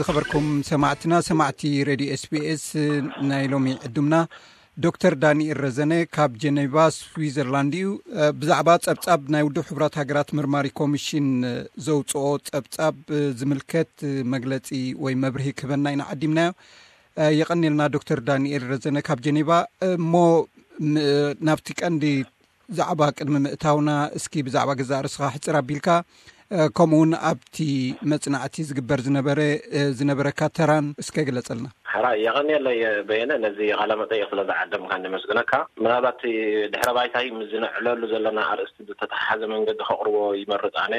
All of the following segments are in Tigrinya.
ዝኸበርኩም ሰማዕትና፣ ሰማዕቲ ሬድዮ ኤስቢኤስ፣ ናይ ሎሚ ዕዱምና ዶክተር ዳንኤል ረዘነ ካብ ጀኔቫ ስዊዘርላንድ እዩ። ብዛዕባ ጸብጻብ ናይ ውድብ ሕቡራት ሃገራት መርማሪ ኮሚሽን ዘውጽኦ ጸብጻብ ዝምልከት መግለጺ ወይ መብርሂ ክህበና ኢና ዓዲምናዮ። የቐንየልና ዶክተር ዳንኤል ረዘነ ካብ ጀኔቫ። እሞ ም- ናብቲ ቀንዲ ዛዕባ ቅድሚ ምእታውና፣ እስኪ ብዛዕባ ገዛእ ርእስኻ ሕጽር ኣቢልካ፣ ከምኡውን ኣብቲ መጽናዕቲ ዝግበር ዝነበረ ዝነበረካ ተራን እስከ ግለጸልና። ሕራይ የቐንየለይ በየነ፣ ነዚ ቃለ መጠይቕ ስለ ዝዓደምካ ነመስግነካ። ምናልባት ድሕረ ባይታይ ምስ ዝነዕለሉ ዘለና ኣርእስቲ ብተተሓሓዘ መንገዲ ከቕርቦ ይመርጽ። ኣነ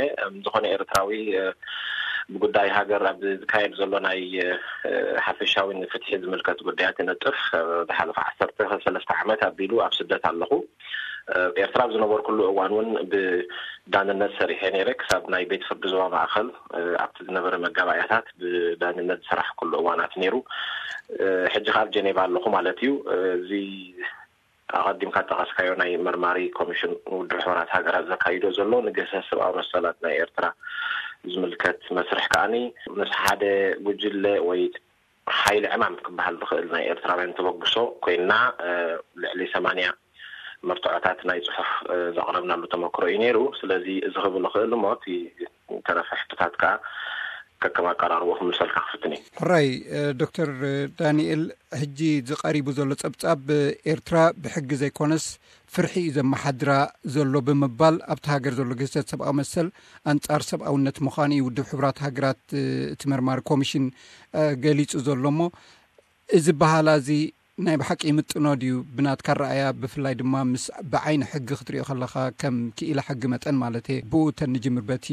ዝኾነ ኤርትራዊ ብጉዳይ ሃገር ኣብ ዝካየድ ዘሎ ናይ ሓፈሻዊ ንፍትሒ ዝምልከት ጉዳያት ይነጥፍ። ዝሓለፈ ዓሰርተ ሰለስተ ዓመት ኣቢሉ ኣብ ስደት ኣለኹ። ኤርትራ ኣብ ዝነበርኩሉ እዋን እውን ብዳንነት ሰሪሐ ነይረ። ክሳብ ናይ ቤት ፍርዲ ዞባ ማእኸል ኣብቲ ዝነበረ መጋባእያታት ብዳንነት ዝሰራሕኩሉ እዋናት ነይሩ። ሕጂ ካብ ጀኔቫ ኣለኹ ማለት እዩ። እዚ ኣቐዲምካ ጠቐስካዮ ናይ መርማሪ ኮሚሽን ውድብ ሕቡራት ሃገራት ዘካይዶ ዘሎ ንገሰ ሰብኣዊ መሰላት ናይ ኤርትራ ዝምልከት መስርሕ ከኣኒ ምስ ሓደ ጉጅለ ወይ ሓይሊ ዕማም ክበሃል ዝኽእል ናይ ኤርትራውያን ተበግሶ ኮይና፣ ልዕሊ ሰማንያ መርትዖታት ናይ ጽሑፍ ዘቕረብናሉ ተመክሮ እዩ ነይሩ። ስለዚ እዚ ክብል እኽእል እሞ እቲ ተረፈ ሕቶታት ከኣ ከከም ኣቀራርቦ ክምልሰልካ ክፍትን እዩ። ሕራይ ዶክተር ዳንኤል፣ ሕጂ ዝቐሪቡ ዘሎ ጸብጻብ ኤርትራ ብሕጊ ዘይኮነስ ፍርሒ እዩ ዘመሓድራ ዘሎ ብምባል ኣብቲ ሃገር ዘሎ ግህሰት ሰብኣዊ መሰል ኣንጻር ሰብኣውነት ምዃኑ እዩ ውድብ ሕቡራት ሃገራት እቲ መርማሪ ኮሚሽን ገሊጹ ዘሎ። እሞ እዚ በሃላ እዚ ናይ ብሓቂ ይምጥኖ ድዩ? ብናትካ ረኣያ፣ ብፍላይ ድማ ምስ ብዓይኒ ሕጊ ክትሪኦ ከለኻ፣ ከም ክኢላ ሕጊ መጠን ማለት እየ፣ ብኡ ተንጅምር፣ በቲ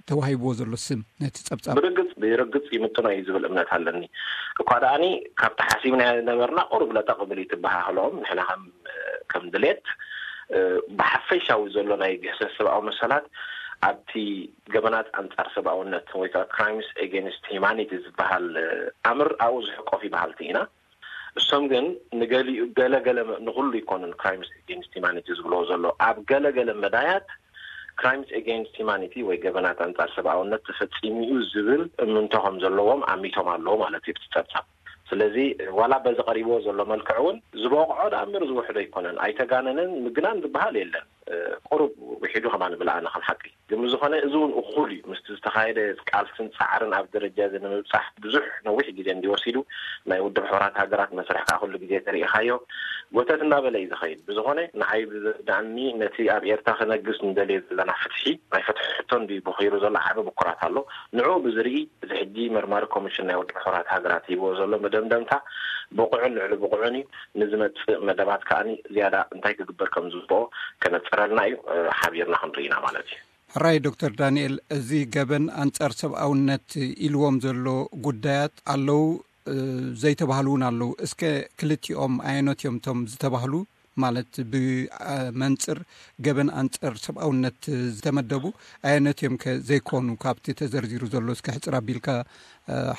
ተዋሂብዎ ዘሎ ስም ነቲ ጸብጻብ። ብርግጽ ብርግጽ ይምጥኖ እዩ ዝብል እምነት ኣለኒ። እኳ ደኣኒ ካብቲ ሓሲብና ዝነበርና ቁሩብ ለጠቕ ብል እዩ ትበሃህሎም። ንሕና ከም ከም ድሌት ብሓፈሻዊ ዘሎ ናይ ግህሰት ሰብኣዊ መሰላት ኣብቲ ገበናት ኣንጻር ሰብኣውነት ወይ ከዓ crimes against humanity ዝበሃል ኣምር ኣብኡ ዝሕቆፍ እዩ በሃልቲ ኢና። እሶም ግን ንገሊኡ ገለገለ መ- ንኹሉ ይኮኑን crimes against humanity ዝብልዎ ዘሎ ኣብ ገለገለ መዳያት crimes against humanity ወይ ገበናት ኣንጻር ሰብኣውነት ተፈጺሙ እዩ ዝብል እምንቶ ከም ዘለዎም ኣሚቶም ኣለዉ ማለት እዩ እቲ ጸብጻብ። ስለዚ ዋላ በዚ ቀሪብዎ ዘሎ መልክዕ እውን ዝበቕዖ ደኣ እምበር ዝውሕዶ ኣይኮነን፣ ኣይተጋነነን፣ ምግናን ዝበሃል የለን። ቁሩብ ውሒዱ ከማን ብለኣነ ከም ሓቂ ግን ብዝኾነ እዚ እውን እኹል እዩ። ምስቲ ዝተኻየደ ቃልስን ጻዕርን ኣብ ደረጃ እዚ ንምብጻሕ ብዙሕ ነዊሕ ግዜ እንዲ ወሲዱ ናይ ውድብ ሕቡራት ሃገራት መስርሕ ከዓ ኩሉ ግዜ ተሪኢኻዮ ጎተት እንዳበለ እዩ ዝኸይድ። ብዝኾነ ንዓይ ብዝርዳእኒ ነቲ ኣብ ኤርትራ ክነግስ ንደልዮ ዘለና ፍትሒ ናይ ፍትሒ ሕቶ እንዲ ቦኺሩ ዘሎ ዓቢ ብኩራት ኣሎ። ንዕኡ ብዝርኢ እዚ ሕጂ መርማሪ ኮሚሽን ናይ ውድብ ሕቡራት ሃገራት ሂብዎ ዘሎ መደምደምታ ብቑዕን ልዕሊ ብቑዕን እዩ። ንዝመጽእ መደባት ከኣኒ ዝያዳ እንታይ ክግበር ከም ዝግብኦ ከነጽረልና እዩ። ሓቢርና ክንርኢ ኢና ማለት እዩ። ሕራይ ዶክተር ዳንኤል፣ እዚ ገበን ኣንጻር ሰብኣውነት ኢልዎም ዘሎ ጉዳያት ኣለዉ፣ ዘይተባህሉ እውን ኣለዉ። እስከ ክልቲኦም ኣየኖት እዮም እቶም ዝተባህሉ? ማለት ብመንጽር ገበን ኣንጻር ሰብኣውነት ዝተመደቡ ኣየኖት እዮም ከ ዘይኮኑ? ካብቲ ተዘርዚሩ ዘሎ እስከ ሕጽር ኣቢልካ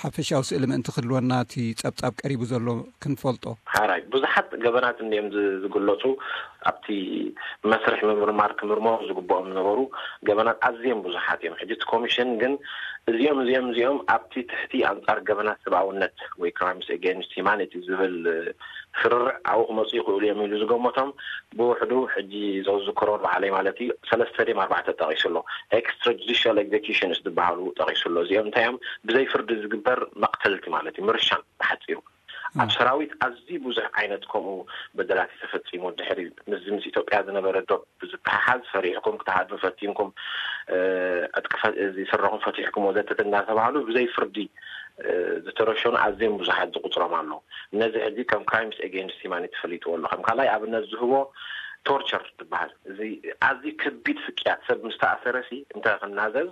ሓፈሻዊ ስእሊ ምእንቲ ክህልወና እቲ ጸብጻብ ቀሪቡ ዘሎ ክንፈልጦ። ሓራይ ብዙሓት ገበናት እንዲዮም ዝ- ዝግለጹ ኣብቲ መስርሕ ምምርማር ክምርመሩ ዝግብኦም ዝነበሩ ገበናት ኣዝዮም ብዙሓት እዮም። ሕጂ እቲ ኮሚሽን ግን እዚኦም እዚኦም እዚኦም ኣብቲ ትሕቲ ኣንጻር ገበናት ሰብኣውነት ወይ crimes against humanity ዝብል ስርርዕ ኣብኡ ክመፁ ይኽእሉ እዮም ኢሉ ዝገመቶም ብውሕዱ ሕጂ ዘዝክሮ ባዕለይ ማለት እዩ ሰለስተ ድም ኣርባዕተ ጠቒሱ ኣሎ። Extrajudicial executions ዝበሃሉ ጠቒሱ ኣሎ። እዚኦም እንታይ እዮም? ብዘይ ፍርዲ ዝግበር መቕተልቲ ማለት እዩ፣ ምርሻን ብሓፂሩ። ኣብ ሰራዊት ኣዝዩ ብዙሕ ዓይነት ከምኡ በደላት ተፈፂሙ። ድሕሪ ምስ ምስ ኢትዮጵያ ዝነበረ ዶብ ብዝተሓሓዝ ፈሪሕኩም ክትሃድሙ ፈቲንኩም፣ ዕጥቂ ስረኹም ፈቲሕኩም ወዘተ እናተባህሉ ብዘይ ፍርዲ ዝተረሸኑ ኣዝዮም ብዙሓት ዝቁፅሮም ኣለዉ። ነዚ ሕጂ ከም crimes against humanity ተፈሊጥዎ ኣሎ። ከም ካልኣይ ኣብነት ዝህቦ ቶርቸር ዝበሃል፣ እዚ ኣዝዩ ከቢድ ስቅያት፣ ሰብ ምስ ተኣሰረ ሲ እንተ ክናዘዝ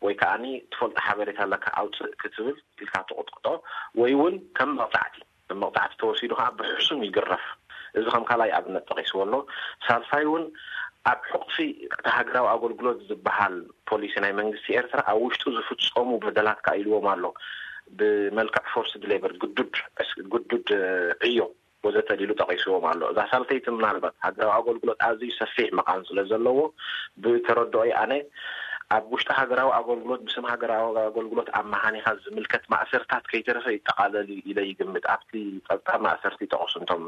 ወይ ከዓኒ ትፈልጦ ሓበሬታ ኣለካ ኣውፅእ ክትብል ኢልካ ትቕጥቅጦ፣ ወይ እውን ከም መቕፃዕቲ፣ ከም መቕፃዕቲ ተወሲዱ ከዓ ብሕሱም ይግረፍ። እዚ ከም ካልኣይ ኣብነት ጠቒስዎ ኣሎ። ሳልሳይ እውን ኣብ ሕቑፊ እቲ ሃገራዊ ኣገልግሎት ዝበሃል ፖሊሲ ናይ መንግስቲ ኤርትራ ኣብ ውሽጡ ዝፍፀሙ በደላት ከዓ ኢልዎም ኣሎ። ብመልክዕ forced labour፣ ግዱድ ዕስ- ግዱድ ዕዮ ወዘተ ኢሉ ጠቒስዎም ኣሎ። እዛ ሳልሰይቲ ምናልባት ሃገራዊ ኣገልግሎት ኣዝዩ ሰፊሕ መቓን ስለ ዘለዎ ብተረድኦይ ኣነ ኣብ ውሽጢ ሃገራዊ ኣገልግሎት፣ ብስም ሃገራዊ ኣገልግሎት ኣመሃኒኻ ዝምልከት ማእሰርታት ከይተረፈ ይጠቓለል እዩ ኢለ ይግምት። ኣብቲ ጸብጻብ ማእሰርቲ ይጠቕሱ እንቶም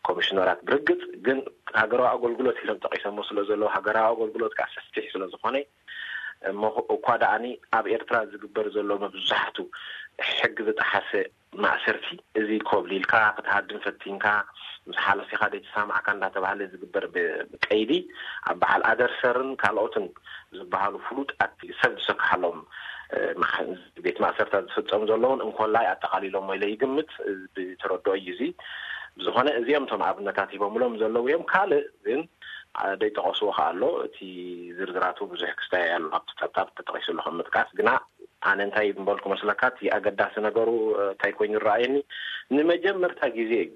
ኮሚሽነራት። ብርግጽ ግን ሃገራዊ ኣገልግሎት ኢሎም ጠቒሶሞ ስለ ዘለዉ፣ ሃገራዊ ኣገልግሎት ከዓ ሰፊሕ ስለ ዝኾነ፣ እሞ እኳ ደኣኒ ኣብ ኤርትራ ዝግበር ዘሎ መብዛሕቱ ሕጊ ዝጠሓሰ ማእሰርቲ፣ እዚ ኮብሊልካ ክትሃድም ፈቲንካ፣ ምስ ሓለፊኻ ዘይተሰማዕካ እንዳተባህለ ዝግበር ብ-፣ ቀይዲ፣ ኣብ በዓል ኣደርሰርን ካልኦትን ዝበሃሉ ፍሉጣት ሰብ ዝሰክሓሎም፣ እ፣ ማሕ-፣ ቤት ማእሰርታት ዝፍጸሙ ዘለውን እንኮላይ ኣጠቓሊሎሞ ኢለ ይግምት። እ፣ ብተረድኦ እዩ እዚ። ብዝኾነ እዚኦም እቶም ኣብነታት ሂቦምሎም ዘለዉ እዮም። ካልእ ግን፣ እ፣ ደይጠቐስዎ ከኣ ኣሎ። እቲ ዝርዝራቱ ብዙሕ ክስታይ ኣሎ ኣብቲ ጸብጻብ ተጠቒሱ ኣሎ ከም ምጥቃስ። ግና ኣነ እንታይ ምበልኩ መስለካ፣ እቲ ኣገዳሲ ነገሩ፣ እ፣ እንታይ ኮይኑ ይረኣየኒ፣ ንመጀመርታ ግዜ እዩ፣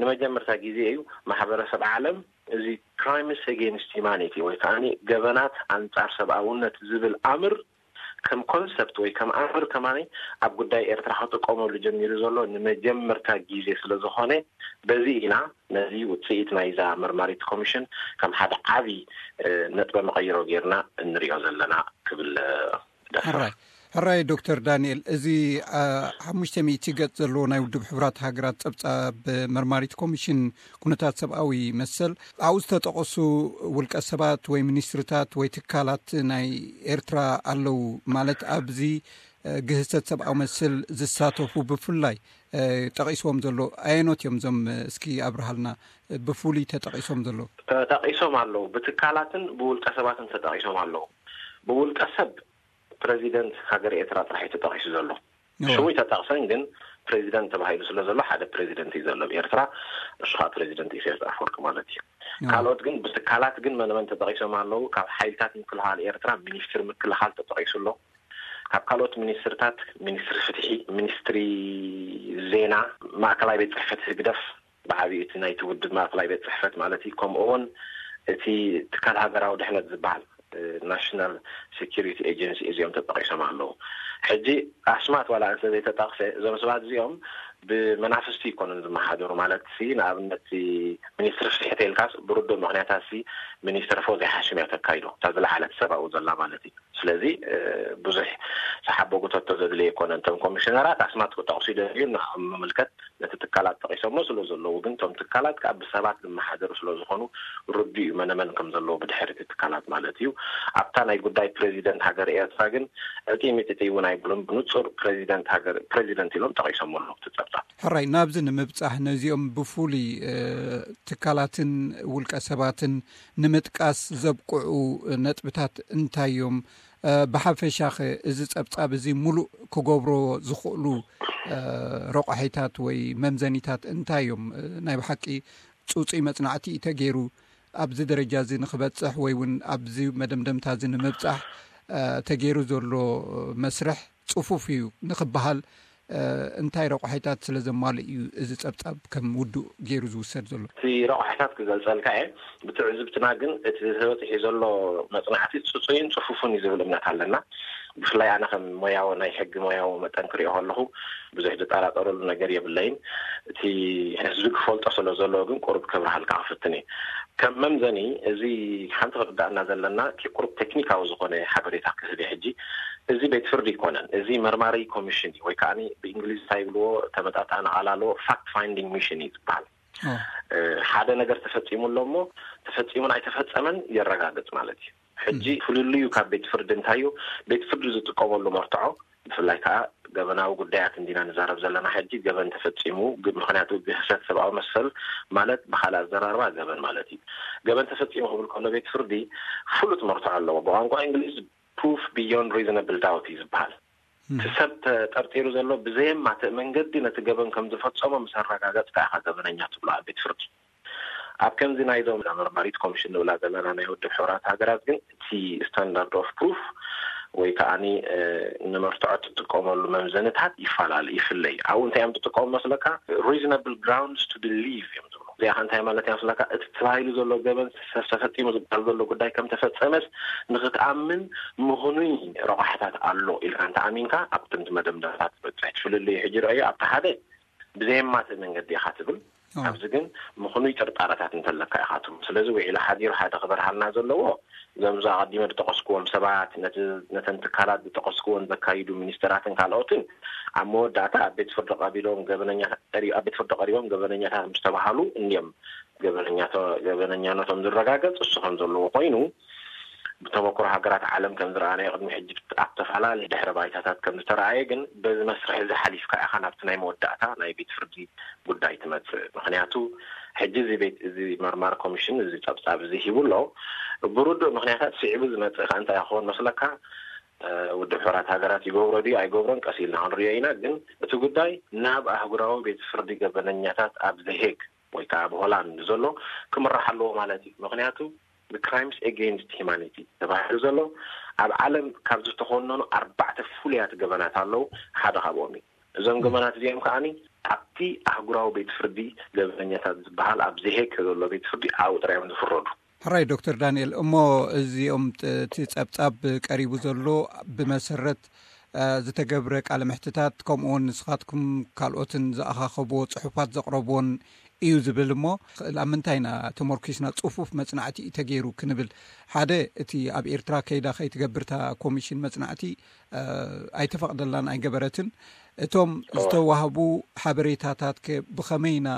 ንመጀመርታ ግዜ እዩ ማሕበረሰብ ዓለም እዚ crimes against humanity ወይ ከዓ ገበናት ኣንጻር ሰብኣውነት ዝብል ኣምር ከም ኮንሰፕት ወይ ከም ኣምር ከማኒ ኣብ ጉዳይ ኤርትራ ክጥቀመሉ ጀሚሩ ዘሎ ንመጀመርታ ግዜ ስለ ዝኾነ፣ በዚ ኢና ነዚ ውጽኢት ናይዛ መርማሪት ኮሚሽን ከም ሓደ ዓቢ፣ እ፣ ነጥበ መቐይሮ ጌርና እንሪኦ ዘለና ክብል፣ እ፣ ደፍር። ሕራይ፣ ሕራይ ዶክተር ዳንኤል፣ እዚ፣ አ፣ ሓሙሽተ ሚእቲ ገጽ ዘለዎ ናይ ውድብ ሕቡራት ሃገራት ጸብጻብ መርማሪት ኮሚሽን ኩነታት ሰብኣዊ መሰል፣ ኣብኡ ዝተጠቐሱ ውልቀ ሰባት ወይ ሚኒስትሪታት ወይ ትካላት ናይ ኤርትራ ኣለዉ፣ ማለት ኣብዚ፣ እ፣ ግህሰት ሰብኣዊ መሰል ዝሳተፉ ብፍላይ፣ እ፣ ጠቒስዎም ዘሎ ኣየኖት እዮም እዞም፣ እ፣ እስኪ ኣብርሃልና፣ እ፣ ብፍሉይ ተጠቒሶም ዘሎ? ተጠቒሶም ኣለዉ። ብትካላትን ብውልቀ ሰባትን ተጠቒሶም ኣለዉ። ብውልቀ ሰብ ፕረዚደንት ሃገር ኤርትራ ጥራሕ እዩ ተጠቒሱ ዘሎ። እዎ። ሽሙ ኣይተጠቕሰን፣ ግን ፕረዚደንት ተባሂሉ ስለ ዘሎ ሓደ ፕረዚደንት እዩ ዘሎ ኣብ ኤርትራ። እሱ ከዓ ፕረዚደንት ኢሳያስ ኣፈወርቂ ማለት እዩ። እዎ። ካልኦት ግን ብትካላት ግን መን መን ተጠቒሶም ኣለዉ? ካብ ሓይልታት ምክልኻል ኤርትራ ሚኒስትሪ ምክልኻል ተጠቒሱ ኣሎ። ካብ ካልኦት ሚኒስትርታት፣ ሚኒስትሪ ፍትሒ፣ ሚኒስትሪ ዜና፣ ማእከላይ ቤት ጽሕፈት ህግደፍ፣ ብዓቢኡ እቲ ናይቲ ውድብ ማእከላይ ቤት ጽሕፈት ማለት እዩ። ከምኡ እውን እቲ ትካል ሃገራዊ ድሕነት ዝበሃል፣ እ፣ ናሽናል ሴኪሪቲ ኤጀንሲ፣ እዚኦም ተጠቒሶም ኣለዉ። ሕጂ ኣስማት ዋላ እንተ ዘይተጠቕሰ፣ እዞም ሰባት እዚኦም ብመናፍስቲ ይኮኑን ዝመሓደሩ። ማለት ሲ፣ ንኣብነት ሲ፣ ሚኒስትሪ ፍትሒ ተልካስ ብርዱእ ምኽንያታት ሲ፣ ሚኒስተር ፎዚ ሓሽም እያ ተካይዶ፣ እታ ዝለዓለት ሰብ ኣብኡ ዘላ ማለት እዩ። ስለዚ፣ እ፣ ብዙሕ ዝሓበጉ ተቶ ዘድልየ ኣይኮነን። እቶም ኮሚሽነራት ኣስማት ክጠቕሱ ይደልዩ፣ ንዕኦም ምምልከት ነቲ ትካላት ጠቒሶሞ ስለ ዘለዉ፣ ግን እቶም ትካላት ከኣ ብሰባት ዝመሓደሩ ስለ ዝኾኑ ርዱእ እዩ መነመን ከም ዘለዉ ብድሕሪ እቲ ትካላት ማለት እዩ። ኣብታ ናይ ጉዳይ ፕሬዚደንት ሃገር ኤርትራ ግን ዕጢ ምጥጢ እውን ኣይብሉን። ብንጹር ፕሬዚደንት ሃገር፣ ፕሬዚደንት ኢሎም ጠቒሶሞ ኣለዉ እቲ ጸብጻብ። ሕራይ፣ ናብዚ ንምብጻሕ ነዚኦም ብፍሉይ፣ እ፣ ትካላትን ውልቀ ሰባትን ንምጥቃስ ዘብቅዑ ነጥብታት እንታይ እዮም? እ፣ ብሓፈሻኸ እዚ ጸብጻብ እዚ ሙሉእ ክገብሮ ዝኽእሉ፣ እ፣ ረቋሒታት ወይ መምዘኒታት እንታይ እዮም? እ፣ ናይ ብሓቂ ጽጹይ መጽናዕቲ እዩ ተገይሩ ኣብዚ ደረጃ እዚ ንኽበጽሕ ወይ እውን ኣብዚ መደምደምታ እዚ ንምብጻሕ፣ እ፣ ተገይሩ ዘሎ መስርሕ ጽፉፍ እዩ ንኽበሃል፣ እ፣ እንታይ ረቋሒታት ስለ ዘማልእ እዩ እዚ ጸብጻብ ከም ውዱእ ገይሩ ዝውሰድ ዘሎ? እቲ ረቋሒታት ክገልጸልካ እየ። ብትዕዝብትና ግን እቲ ተበጺሑ ዘሎ መጽናዕቲ ጽጹይን ጽፉፍን እዩ ዝብል እምነት ኣለና። ብፍላይ ኣነ ከም ሞያዊ፣ ናይ ሕጊ ሞያዊ መጠን ክሪኦ ከለኹ ብዙሕ ዝጠራጠረሉ ነገር የብለይን። እቲ ህዝቢ ክፈልጦ ስለ ዘለዎ ግን ቁሩብ ከብርሃልካ ክፍትን እየ። ከም መምዘኒ፣ እዚ ሓንቲ ክርዳእና ዘለና፣ እቲ ቁሩብ ቴክኒካዊ ዝኾነ ሓበሬታ ክህብ እየ ሕጂ። እዚ ቤት ፍርዲ ኣይኮነን። እዚ መርማሪ ኮሚሽን እዩ፣ ወይ ከዓኒ ብእንግሊዝ እንታይ ይብልዎ፣ ተመጣጣኒ ቃል ኣለዎ፣ ፋክት ፋይንዲንግ ሚሽን እዩ ዝበሃል። ኦ። እ፣ ሓደ ነገር ተፈጺሙ ኣሎ እሞ፣ ተፈጺሙን ኣይተፈጸመን የረጋግጽ ማለት እዩ። ሕጂ ም። ፍልልዩ ካብ ቤት ፍርዲ እንታይ እዩ? ቤት ፍርዲ ዝጥቀመሉ መርትዖ፣ ብፍላይ ከኣ ገበናዊ ጉዳያት እንዲና ንዛረብ ዘለና ሕጂ፣ ገበን ተፈጺሙ፣ ግ-፣ ምኽንያቱ ግህሰት ሰብኣዊ መሰል ማለት ብኻልእ ኣዘራርባ ገበን ማለት እዩ። ገበን ተፈጺሙ ክብል ከሎ ቤት ፍርዲ ፍሉጥ መርትዖ ኣለዎ። ብቋንቋ እንግሊዝ ፕሩፍ ቢዮንድ ሪዝነብል ዳውት እዩ ዝበሃል። ም። እቲ ሰብ ተጠርጢሩ ዘሎ ብዘየማትእ መንገዲ ነቲ ገበን ከም ዝፈጸሞ ምስ ኣረጋገጽካ ኢኻ ገበነኛ ትብሎ ኣብ ቤት ፍርዲ። ኣብ ከምዚ ናይዞም መርማሪት ኮሚሽን ንብላ ዘለና ናይ ውድብ ሕቡራት ሃገራት ግን እቲ ስታንዳርድ ኦፍ ፕሩፍ ወይ ከዓኒ፣ እ፣ ንመርትዖ ትጥቀመሉ መምዘንታት ይፈላለ፣ ይፍለይ። ኣብኡ እንታይ እዮም ትጥቀሙ መስለካ? ሪዝነብል ግራውንድስ ቱ ቢሊቭ እዮም ዝብሉ። እዚኣ ከ እንታይ ማለት እያ መስለካ? እቲ ተባሂሉ ዘሎ ገበን ተፈ-፣ ተፈጺሙ ዝበሃል ዘሎ ጉዳይ ከም ተፈጸመስ ንኽትኣምን ምኽኑይ ረቋሕታት ኣሎ ኢልካ እንተ ኣሚንካ ኣብቲ መደምደምታ ትበጽሕ። እቲ ፍልልዩ ሕጂ ረኣዮ፣ ኣብቲ ሓደ ብዘየማትእ መንገዲ ኢኻ ትብል። ኦ። ኣብዚ ግን ምኽኑይ ጥርጣረታት እንተለካ ኢኻ ትብል። ስለዚ ውዒሉ ሓዲሩ ሓደ ክበርሃልና ዘለዎ ዘምዛ ኣቐዲመ ዝጠቐስክዎም ሰባት፣ ነተን ትካላት ዝጠቐስክዎን ዘካይዱ ሚኒስተራትን ካልኦትን ኣብ መወዳእታ ኣብ ቤት ፍርዲ ቀቢሎም ገበነኛታት ኣብ ቤት ፍርዲ ቀሪቦም ገበነኛታት ምስ ተባሃሉ እንዲዮም ገበነኛነቶም ዝረጋገጽ እሱ ከም ዘለዎ ኮይኑ፣ ብተመክሮ ሃገራት ዓለም ከም ዝረኣናዮ ቅድሚ ሕጂ ኣብ ተፈላለየ ድሕረ ባይታታት ከም ዝተረኣየ ግን በዚ መስርሕ እዚ ሓሊፍካ ኢኻ ናብቲ ናይ መወዳእታ ናይ ቤት ፍርዲ ጉዳይ ትመጽእ። ምክንያቱ ሕጂ እዚ ቤት እዚ መርማር ኮሚሽን እዚ ጸብጻብ እዚ ሂቡ ኣሎ። ብርዱእ ምክንያታት ስዒቡ ዝመጽእ ከ እንታይ ክኸውን መስለካ? ውድብ ሕራት ሃገራት ይገብሮ ድዩ ኣይገብሮን ቀስ ኢልና ክንሪኦ ኢና። ግን እቲ ጉዳይ ናብ ኣህጉራዊ ቤት ፍርዲ ገበነኛታት ኣብ ዘሄግ ወይ ከዓ ኣብ ሆላንድ ዘሎ ክምራሕ ኣለዎ ማለት እዩ። ምክንያቱ ብክራይምስ ኤጌንስት ሂማኒቲ ተባሂሉ ዘሎ ኣብ ዓለም ካብ ዝተኮነኑ ኣርባዕተ ፍሉያት ገበናት ኣለዉ። ሓደ ካብኦም እዩ። እዞም ገበናት እዚኦም ከዓኒ ኣብቲ ኣህጉራዊ ቤት ፍርዲ ገበነኛታት ዝበሃል ኣብ ዘሄግ ዘሎ ቤት ፍርዲ ኣብኡ ጥራዮም ዝፍረዱ። ሕራይ ዶክተር ዳንኤል፣ እሞ እዚኦም እቲ ጸብጻብ ቀሪቡ ዘሎ ብመሰረት ዝተገብረ ቃለ ምሕትታት ከምኡውን ንስኻትኩም ካልኦትን ዝኣኻኸብዎ ጽሑፋት ዘቕረብዎን እዩ ዝብል እሞ፣ ኣብ ምንታይ ኢና ተመርኪስና ጽፉፍ መጽናዕቲ እዩ ተገይሩ ክንብል? ሓደ፣ እቲ ኣብ ኤርትራ ከይዳ ከይትገብር እታ ኮሚሽን መጽናዕቲ ኣይተፈቕደላን ኣይገበረትን። እቶም ዝተዋህቡ ሓበሬታታት ከ ብኸመይ ኢና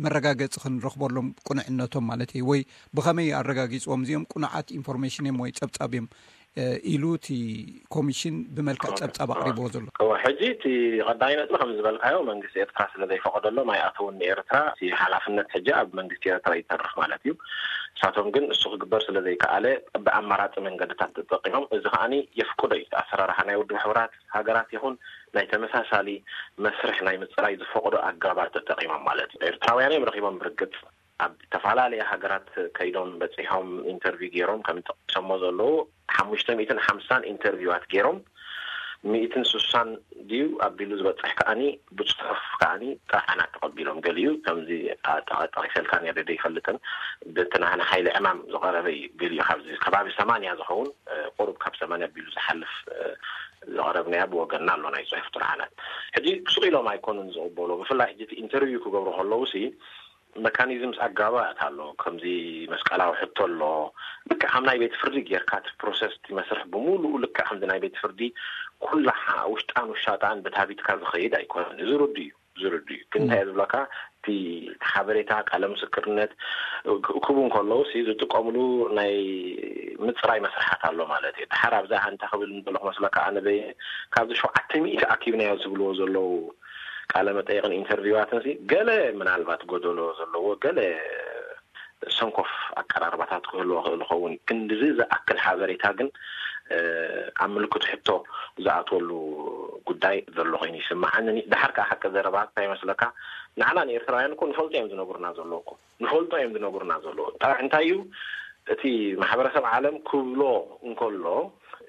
መረጋገጺ ክንረኽበሎም፣ ቁንዕነቶም ማለት እዩ፣ ወይ ብኸመይ ኣረጋጊጽዎም እዚኦም ቁኑዓት ኢንፎርሜሽን እዮም ወይ ጸብጻብ እዮም ኢሉ እቲ ኮሚሽን ብመልክዕ ጸብጻብ ኣቕሪብዎ ዘሎ? እወ፣ ሕጂ እቲ ቀዳማይ ነጥቢ ከም ዝበልካዮ መንግስቲ ኤርትራ ስለ ዘይፈቐደሎም ኣይኣተውን ንኤርትራ። እቲ ሓላፍነት ሕጂ ኣብ መንግስቲ ኤርትራ ይተርፍ ማለት እዩ። ንሳቶም ግን እሱ ክግበር ስለ ዘይከኣለ ብኣማራጺ መንገድታት ተጠቂሞም፣ እዚ ከዓኒ የፍቅዶ እዩ። ኣሰራርሓ ናይ ውድብ ሕቡራት ሃገራት ይኹን ናይ ተመሳሳሊ መስርሕ ናይ ምጽራይ ዝፈቕዶ ኣገባባት ተጠቂሞም ማለት እዩ። ኤርትራውያን እዮም ረኺቦም ብርግጽ ኣብ ዝተፈላለየ ሃገራት ከይዶም በጺሖም ኢንተርቪው ገይሮም ከም ጠቂሶሞ ዘለዉ ሓሙሽተ ሚእትን ሓምሳን ኢንተርቪዋት ገይሮም ሚእትን ስሳን ድዩ ኣቢሉ ዝበጽሕ ከዓኒ ብጽሑፍ ከዓኒ ጥራሕ ኢና ተቐቢሎም። ገሊኡ ከምዚ ጠቂሰልካ ነይረ ዶ ይፈልጥን ብትናህን ሓይሊ ዕማም ዝቐረበ እዩ። ገሊኡ ካብዚ ከባቢ ሰማንያ ዝኸውን ቁሩብ ካብ ሰማንያ ኣቢሉ ዝሓልፍ ዝቐረብናዮ ብወገንና ኣሎ ናይ ጽሑፍ ጥርዓናት። ሕጂ ስቕ ኢሎም ኣይኮኑን ዝቕበሉ። ብፍላይ ሕጂ ኢንተርቪው ክገብሩ ከለዉ ሲ መካኒዝምስ ኣጋባእት ኣሎ። ከምዚ መስቀላዊ ሕቶ ኣሎ። ልክዕ ከም ናይ ቤት ፍርዲ ጌርካ እቲ ፕሮሰስ እቲ መስርሕ ብምሉኡ ልክዕ ከምዚ ናይ ቤት ፍርዲ ኩላ ውሽጣን ውሻጣን ብታቢትካ ዝኸይድ ኣይኮነን። እዚ ርዱ እዩ። ዝርዱ እዩ። ግን እንታይ ዝብለካ እቲ ሓበሬታ ቃለ ምስክርነት ክቡ እንከለዉ ዝጥቀምሉ ናይ ምፅራይ መስርሓት ኣሎ ማለት እዩ። ድሓር ኣብዛ ሃንታ ክብል እንተለኹ መስለካ ኣነ በየ ካብዚ ሸውዓተ ሚእቲ ኣኪብናዮ ዝብልዎ ዘለዉ ቃለ መጠይቕን ኢንተርቪዋትን ገለ ምናልባት ጎደሎ ዘለዎ ገለ ሰንኮፍ ኣቀራርባታት ክህልዎ ክእል ይኸውን። ክንድዚ ዝኣክል ሓበሬታ ግን ኣብ ምልክት ሕቶ ዝኣትወሉ ጉዳይ ዘሎ ኮይኑ ይስምዓኒ። ድሓር ከዓ ሓቂ ዘረባ እንታይ ይመስለካ፣ ንዓና ንኤርትራውያን እኮ ንፈልጦ እዮም ዝነግሩና ዘለዉ እኮ ንፈልጦ እዮም ዝነግሩና ዘለዉ። ጥራሕ እንታይ እዩ እቲ ማሕበረሰብ ዓለም ክብሎ እንከሎ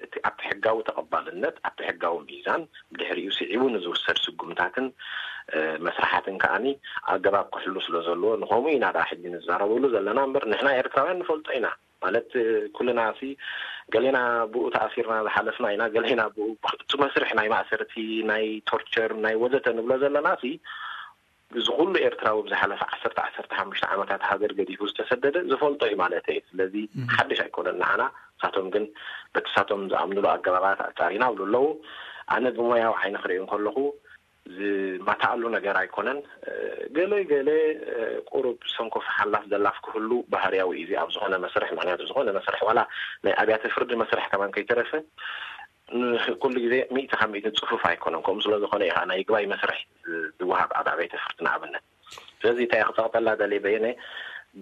እቲ ኣብቲ ሕጋዊ ተቐባልነት ኣብቲ ሕጋዊ ሚዛን ብድሕሪኡ ስዒቡ ንዝውሰድ ስጉምታትን መስራሓትን ከዓኒ ኣገባብ ክሕሉ ስለ ዘለዎ ንኸምኡ ኢና ደኣ ሕጂ ንዛረበሉ ዘለና እምበር ንሕና ኤርትራውያን ንፈልጦ ኢና ማለት ኩልና ሲ ገሌና ብኡ ተኣሲርና ዝሓለፍና ኢና ገሌና ብኡ እቲ መስርሕ ናይ ማእሰርቲ ናይ ቶርቸር ናይ ወዘተ ንብሎ ዘለና ሲ እዚ ኩሉ ኤርትራዊ ብዝሓለፈ ዓሰርተ ዓሰርተ ሓሙሽተ ዓመታት ሃገር ገዲፉ ዝተሰደደ ዝፈልጦ እዩ ማለት እዩ። ስለዚ ሓድሽ ኣይኮነን ንዓና። ንሳቶም ግን በቲ ሳቶም ዝኣምኑሉ ኣገባባት ኣጻሪና ኣብሉ ኣለዉ። ኣነ ብሞያዊ ዓይኒ ክርእዮ እንከለኹ ዝማትኣሉ ነገር ኣይኮነን። ገለ ገለ ቁሩብ ሰንኮፍ ሓላፍ ዘላፍ ክህሉ ባህርያዊ እዩ ኣብ ዝኾነ መስርሕ። ምክንያቱ ዝኾነ መስርሕ ዋላ ናይ ኣብያተ ፍርዲ መስርሕ ከማን ከይተረፈ ኩሉ ግዜ ሚእቲ ካብ ሚእቲ ፅፉፍ ኣይኮነን። ከምኡ ስለ ዝኾነ እዩ ናይ ይግባይ መስርሕ ዝወሃብ ኣብ ኣብያተ ፍርዲ ንኣብነት። ስለዚ እንታይ ክፀቕጠላ ደልየ በየነ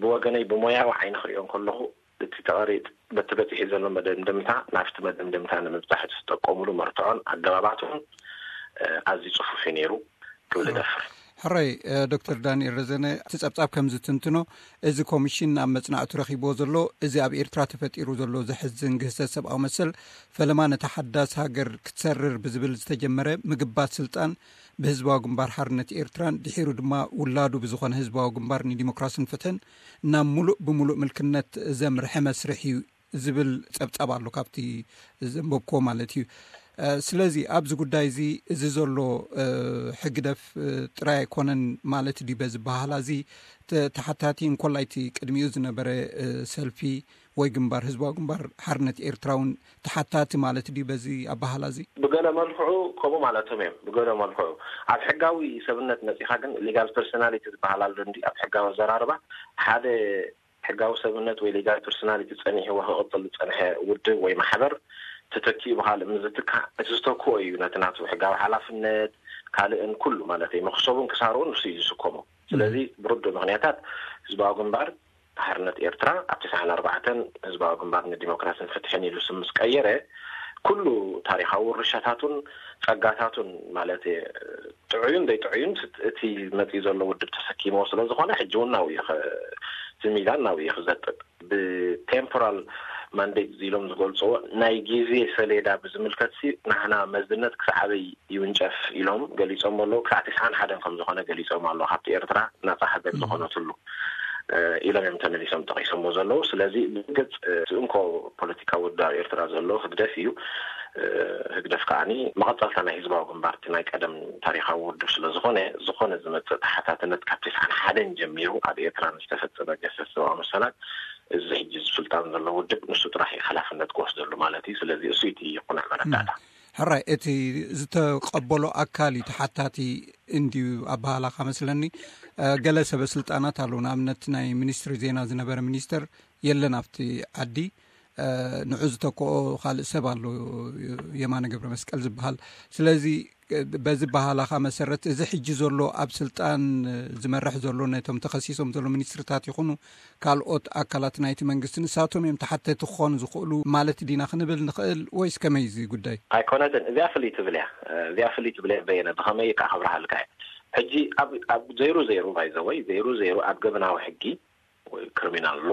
ብወገነይ ብሞያዊ ዓይኒ ክሪኦ ከለኹ እቲ ተቐሪፅ በቲ በፂሒ ዘሎ መደምደምታ ናብቲ መደምደምታ ንምብፃሕ ዝጥቀሙሉ መርትዖን ኣገባባቱን ኣዝዩ ፅፉፍ እዩ ነይሩ ክብል እደፍር። ሕራይ ዶክተር ዳንኤል ረዘነ እቲ ጸብጻብ ከም ዝትንትኖ እዚ ኮሚሽን ኣብ መጽናዕቱ ረኺብዎ ዘሎ እዚ ኣብ ኤርትራ ተፈጢሩ ዘሎ ዘሕዝን ግህሰት ሰብኣዊ መሰል ፈለማ ነታ ሓዳስ ሃገር ክትሰርር ብዝብል ዝተጀመረ ምግባት ስልጣን ብህዝባዊ ግንባር ሓርነት ኤርትራን ድሒሩ ድማ ውላዱ ብዝኾነ ህዝባዊ ግንባር ንዲሞክራስን ፍትሕን ናብ ሙሉእ ብሙሉእ ምልክነት ዘምርሐ መስርሕ እዩ ዝብል ጸብጻብ ኣሎ ካብቲ ዘንበብክዎ ማለት እዩ። ስለዚ ኣብዚ ጉዳይ እዚ፣ እዚ ዘሎ ሕግደፍ ጥራይ ኣይኮነን ማለት ድዩ? በዚ በሃላ እዚ ተሓታቲ እንኮላይ እቲ ቅድሚኡ ዝነበረ ሰልፊ ወይ ግንባር፣ ህዝባዊ ግንባር ሓርነት ኤርትራ እውን ተሓታቲ ማለት ድዩ በዚ ኣበሃላ እዚ? ብገለ መልክዑ ከምኡ ማለቶም እዮም። ብገለ መልክዑ ኣብ ሕጋዊ ሰብነት መጺኻ ግን ሊጋል ፐርሶናሊቲ ዝበሃል ኣሎ እንዲ ኣብ ሕጋዊ ኣዘራርባ ሓደ ሕጋዊ ሰብነት ወይ ሌጋል ፐርሶናሊቲ ጸኒሕዎ ክቕጽል ዝጸንሐ ውድብ ወይ ማሕበር ተተኪኡ ብኻልእ ምስ ዝትካእ እቲ ዝተክኦ እዩ ነቲ ናቱ ሕጋዊ ሓላፍነት ካልእን ኩሉ ማለት እዩ። መኽሰቡን ክሳርኡን ንሱ እዩ ዝስከሞ። ስለዚ ብርዱእ ምኽንያታት ህዝባዊ ግንባር ሓርነት ኤርትራ ኣብ ትስዓን ኣርባዕተን ህዝባዊ ግንባር ንዲሞክራስን ፍትሕን ኢሉ ስም ምስ ቀየረ ኩሉ ታሪኻዊ ውርሻታቱን ጸጋታቱን ማለት ጥዑዩን ዘይጥዑዩን እቲ መፅኡ ዘሎ ውድብ ተሰኪሞ ስለዝኾነ ሕጂ እውን ናብኡ እዩ ዝሚዛን ናብኡ እዩ ክዘጥጥ። ብቴምፖራል ማንዴት ኢሎም ዝገልፅዎ ናይ ግዜ ሰሌዳ ብዝምልከት ሲ ንሕና መዝነት ክሳዕ ኣበይ ይውንጨፍ ኢሎም ገሊፆም ኣለዉ። ክሳዕ ትስዓን ሓደን ከም ዝኾነ ገሊፆም ኣለዉ። ካብቲ ኤርትራ ናፃ ሃገር ዝኾነትሉ ኢሎም እዮም ተመሊሶም ጠቂሶምዎ ዘለዉ። ስለዚ ብግልፅ እቲ እንኮ ፖለቲካዊ ውድብ ኣብ ኤርትራ ዘሎ ህግደፍ እዩ። ህግደፍ ከዓኒ መቐፀልታ ናይ ህዝባዊ ግንባር እቲ ናይ ቀደም ታሪኻዊ ውድብ ስለዝኾነ ዝኾነ ዝመፅእ ተሓታትነት ካብ ትስዓን ሓደን ጀሚሩ ኣብ ኤርትራ ንዝተፈፀመ ገሰስ ሰብኣዊ መሰላት እዚ ሕጂ ስልጣን ዘሎ ውድብ ንሱ ጥራሕ እዩ ሓላፍነት ክወስደሉ ማለት እዩ። ስለዚ እሱ እቲ ይኩነዕ መረዳእታ ሕራይ እቲ ዝተቐበሎ ኣካል እዩ ተሓታቲ እንድዩ ኣበሃላኻ መስለኒ። ገለ ሰበ ስልጣናት ኣለዉ። ንኣብነት ናይ ሚኒስትሪ ዜና ዝነበረ ሚኒስተር የለን ኣብቲ ዓዲ። ንዑ ዝተክኦ ካልእ ሰብ ኣሎ፣ የማነ ገብረ መስቀል ዝበሃል። ስለዚ በዚ በሃላኻ መሰረት እዚ ሕጂ ዘሎ ኣብ ስልጣን ዝመርሕ ዘሎ ነቶም ተኸሲሶም ዘሎ ሚኒስትርታት ይኹኑ ካልኦት ኣካላት ናይቲ መንግስቲ ንሳቶም እዮም ተሓተቲ ክኾኑ ዝኽእሉ ማለት ዲና ክንብል ንኽእል ወይስ ከመይ እዚ ጉዳይ? ኣይኮነትን። እዚኣ ፍልይ ትብል እያ። እዚኣ ፍልይ ትብል እያ በየነ። ብኸመይ ከዓ ክብርሃልካ እየ። ሕጂ ኣብ ዜሩ ዜሩ ባይዘወይ ዜሩ ዜሩ ኣብ ገበናዊ ሕጊ ወይ ክሪሚናል ሎ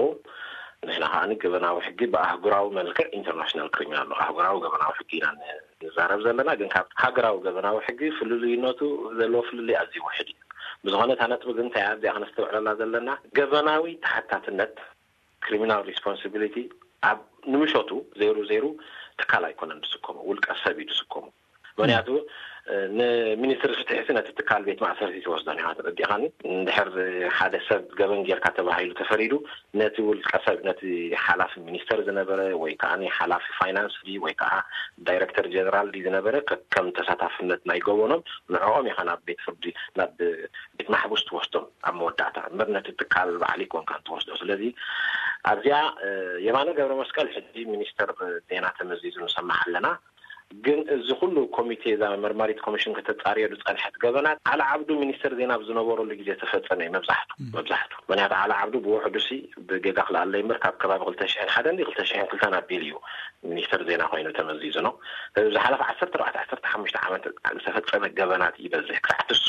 ንሕና ከዓ ገበናዊ ሕጊ ብኣህጉራዊ መልክዕ ኢንተርናሽናል ክሪሚናል ሎ ኣህጉራዊ ገበናዊ ሕጊ ኢና ንዛረብ ዘለና። ግን ካብ ሃገራዊ ገበናዊ ሕጊ ፍልልይነቱ ዘለዎ ፍልልይ ኣዝዩ ውሕድ እዩ። ብዝኾነ እታ ነጥቢ ግን እንታይ ኣብዚኣ ክነስተውዕለላ ዘለና ገበናዊ ተሓታትነት ክሪሚናል ሪስፖንሲቢሊቲ ኣብ ንምሸቱ ዜሩ ዜሩ ትካል ኣይኮነን ዝስከሞ ውልቀ ሰብ እዩ ዝስከሞ። ምክንያቱ ንሚኒስትሪ ፍትሒ ነቲ ትካል ቤት ማእሰርቲ ትወስዶ ኒኻ ተረዲኻኒ። እንድሕር ሓደ ሰብ ገበን ጌርካ ተባሂሉ ተፈሪዱ ነቲ ውልቀ ሰብ ነቲ ሓላፊ ሚኒስተር ዝነበረ ወይ ከዓ ሓላፊ ፋይናንስ ዲ ወይ ከዓ ዳይረክተር ጀነራል ዲ ዝነበረ ከም ተሳታፍነት ናይ ገበኖም ንዕኦም ኢኻ ናብ ቤት ፍርዲ ናብ ቤት ማሕቡስ ትወስዶም ኣብ መወዳእታ እምበር ነቲ ትካል ባዕሊ ኮንካ ትወስዶ። ስለዚ ኣብዚኣ የማነ ገብረ መስቀል ሕጂ ሚኒስተር ዜና ተመዚዙ ንሰማዕ ኣለና። ግን እዚ ኩሉ ኮሚቴ እዛ መርማሪት ኮሚሽን ከተጻርዮ ዝጸንሐት ገበናት ዓሊ ዓብዱ ሚኒስተር ዜና ኣብ ዝነበረሉ ግዜ ተፈጸመ እዩ። መብዛሕቱ መብዛሕቱ ምክንያቱ ዓሊ ዓብዱ ብውሕዱ ሲ ብጌጋ ክልኣለ እምበር ካብ ከባቢ ክልተ ሽሕን ሓደን ክልተ ሽሕን ክልተን ኣቢሉ እዩ ሚኒስተር ዜና ኮይኑ ተመዚዙ ነው። ዝሓለፈ ዓሰርተ ኣርባዕተ ዓሰርተ ሓሙሽተ ዓመት ዝተፈጸመ ገበናት ይበዝሕ ክሳዕ ትሱ